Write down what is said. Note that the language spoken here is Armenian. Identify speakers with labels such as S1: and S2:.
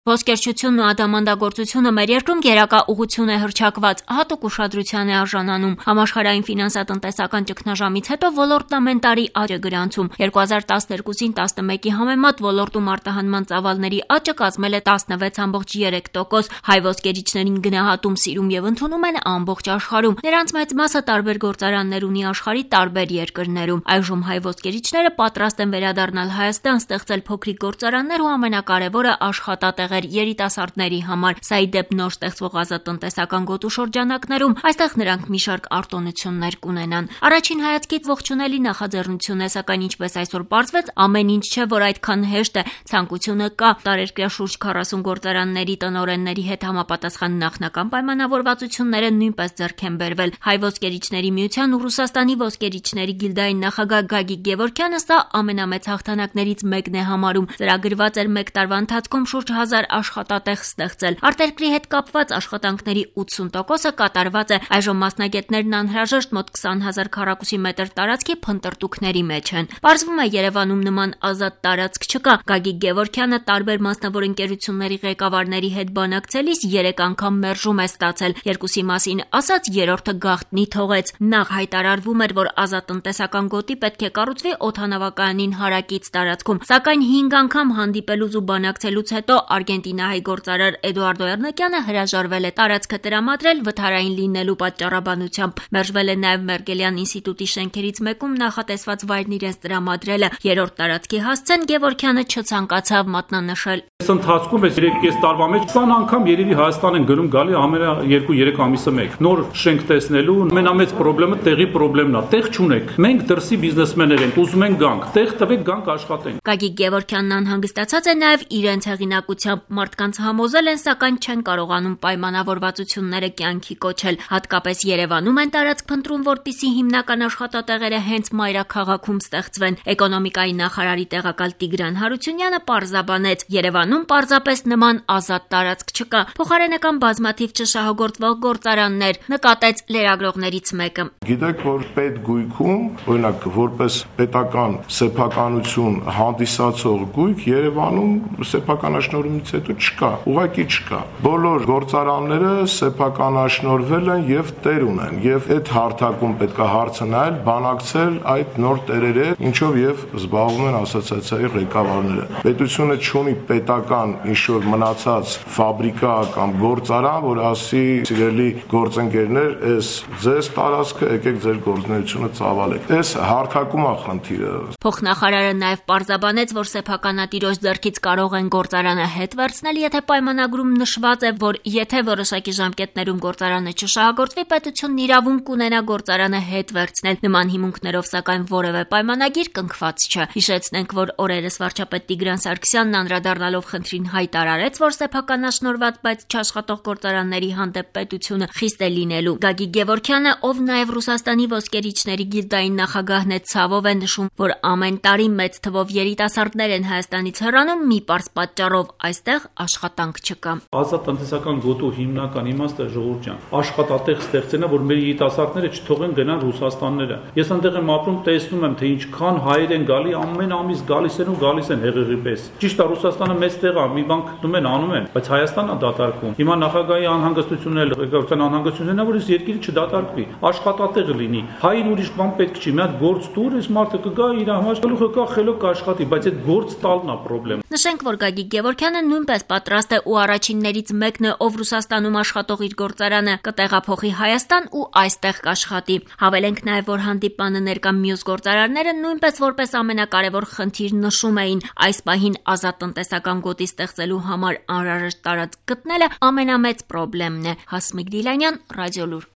S1: Ոսկերչությունն ու ադամանդագործությունը մեր երկրում գերակա ուղղություն է հռչակված, հատուկ ուշադրության է արժանանում։ Համաշխարհային ֆինանսատնտեսական ճգնաժամից հետո ոլորտն ամեն տարի աճ է գրանցում։ 2012-ին 11-ի համեմատ ոլորտում արտահանման ծավալների աճը կազմել է 16,3%։ Հայ ոսկերիչներին գնահատում, սիրում եւ ընդունում են ամբողջ աշխարհում։ Նրանց մեծ մասը տարբեր գործարաններ ունի աշխարհի տարբեր երկրներում։ Այժմ հայ ոսկերիչները պատրաստ են վերադառնալ Հայաստան, ստեղծել փոքրիկ գործարաններ ու ամենակարևորը աշխատատեղ երիտասարդների համար, սա ի դեպ նոր ստեղծվող ազատտնտեսական գոտու շրջանակներում, այստեղ նրանք մի շարք արտոնություններ կունենան։ Առաջին հայացքից ողջունելի նախաձեռնություն է, սակայն ինչպես այսօր պարզվեց, ամեն ինչ չէ, որ այդքան հեշտ է, ցանկությունը կա։ Տարերկրյա շուրջ 40 գործարանների տնօրենների հետ համապատասխան նախնական պայմանավորվածությունները նույնպես ձեռք են բերվել։ Հայ ոսկերիչների միության ու Ռուսաստանի ոսկերիչների գիլդայի նախագահ Գագիկ Գևորգյանը սա ամենամեծ հաղթանակներից մեկն է համարում։ Ծրագրված էր 1 տարվա ընթացքում շուրջ 1000 աշխատատեղ ստեղծել։ Արտերկրի հետ կապված աշխատանքների 80%-ը կատարված է։ Այժմ մասնագետներն անհրաժեշտ մոտ 20,000 քառակուսի մետր տարածքի փնտրտուքների մեջ են։ Պարզվում է, Երևանում նման ազատ տարածք չկա։ Գագիկ Գևորգյանը տարբեր մասնավոր ընկերությունների ղեկավարների հետ բանակցելիս 3 անգամ մերժում է ստացել։ Երկուսի մասին ասած, երրորդը գաղտնի թողեց։ Նախ հայտարարվում էր, որ ազատտնտեսական գոտի պետք է կառուցվի օդանավակայանին հարակից տարածքում, սակայն 5 անգամ հանդիպելուց ու բանակցելուց հետո արգենտինահայ գործարար Էդուարդո Էռնեկյանը հրաժարվել է տարածքը տրամադրել վթարային լինելու պատճառաբանությամբ։ Մերժվել է նաև Մերկելյան ինստիտուտի շենքերից մեկում նախատեսված վայրն իրենց տրամադրելը։ Երրորդ տարածքի հասցեն Գևորգյանը չցանկացավ մատնանշել։
S2: Այս ընթացքում այս 3 տարվա մեջ 20 անգամ երևի Հայաստան են գնում գալի ամենա 2-3 ամիսը մեկ։ Նոր շենք տեսնելու ամենամեծ խնդրը տեղի խնդրեմն է։ Տեղ չունեք։ Մենք դրսի բիզնեսմեններ ենք, ուզում ենք գանք, տեղ տվեք, գանք աշխատենք։
S1: Գագիկ Գևորգյանն անհանգստացած է նաև իրենց հեղինակությամբ։ Մարդկանց համոզել են, սակայն չեն կարողանում պայմանավորվածությունները կյանքի կոչել։ Հատկապես Երևանում են տարածք փնտրում, որպեսզի հիմնական աշխատատեղերը հենց մայրաքաղաքում ստեղծվեն։ Էկոնոմիկայի նախարարի տեղակալ Տիգրան Հարությունյանը պարզաբանեց. Երևանում պարզապես նման ազատ տարածք չկա։ Փոխարենական բազմաթիվ չշահագործվող գործարաններ, նկատեց լրագրողներից մեկը։
S3: Գիտեք, որ պետգույքում, օրինակ, որպես պետական սեփականություն հանդիսացող գույք Երևանում սեփականաշնորհումից հետո չկա, ուղղակի չկա։ Բոլոր գործարանները սեփականաշնորհվել են եւ տեր ունեն, եւ այդ հարթակում պետք է հարցը նայել, բանակցել այդ նոր տերերի, ինչով եւ զբաղվում են ասոցիացիայի ղեկավարները։ Պետությունը չունի պետական ինչ-որ մնացած ֆաբրիկա կամ գործարան, որ ասի, սիրելի գործընկերներ, այս ձեզ տարածքը, եկեք ձեր գործունեությունը ծավալեք։ Այս հարթակում է խնդիրը։
S1: Փոխնախարարը նաև պարզաբանեց, որ սեփականատիրոջ ձեռքից կարող են գործարանը հետ վերցնել, եթե պայմանագրում նշված է, որ եթե որոշակի ժամկետներում գործարանը չշահագործվի, պետությունն իրավունք կունենա գործարանը հետ վերցնել։ Նման հիմունքներով սակայն որևէ պայմանագիր կնքված չէ։ Հիշեցնենք, որ օրերս վարչապետ Տիգրան Սարգսյանն անդրադառնալով խնդրին հայտարարեց, որ սեփականաշնորհված, բայց չաշխատող գործարանների հանդեպ պետությունը խիստ է լինելու։ Գագիկ Գևորգյանը, ով նաև Ռուսաստանի ոսկերիչների գիլդայի նախագահն է, ցավով է նշում, որ ամեն տարի մեծ թվով երիտասարդներ են Հայաստանից հեռանում մի պարզ պատճառով, այստեղ աշխատանք չկա։
S2: Ազատտնտեսական գոտու հիմնական իմաստը ժողովուրդ ջան, աշխատատեղ ստեղծելն է, որ մեր երիտասարդները չթողեն գնան Ռուսաստանները։ Ես այնտեղ եմ ապրում, տեսնում եմ, թե ինչքան հայեր են գալի, ամեն ամիս գալիս են հեղեղի պես։ Ճիշտ է, Ռուսաստանը մեծ տեղ է, մի բան գտնում են, անում են, բայց Հայաստանն է դատարկվում։ Հիմա նախագահի անհանգստությունն է, ղեկավարության անհանգստությունն է, որ այս երկիրը չդատարկվի, աշխատատեղ լինի։ Հային ուրիշ բան պետք չի, մի հատ գործ տուր, այս մարդը կգա իր համար, գլուխը կա, խելոք կաշխատի, բայց այդ գործ տալն է խնդրեմ։
S1: Նշենք, որ Գագիկ Գևորգյանը նույնպես պատրաստ է ու առաջիններից մեկն է, ով Ռուսաստանում աշխատող իր գործարանը կտեղափոխի Հայաստան ու այստեղ կաշխատի։ Հավելենք նաև, որ հանդիպանը ներկա մյուս գործարարները նույնպես որպես ամենակարևոր խնդիր նշում էին։ Այս պահին ազատ տնտեսական գոտի ստեղծելու համար անհրաժեշտ տարածք գտնելը ամենամեծ խնդիրն է։ Հասմիկ Դիլանյան, Ռադիոլուր։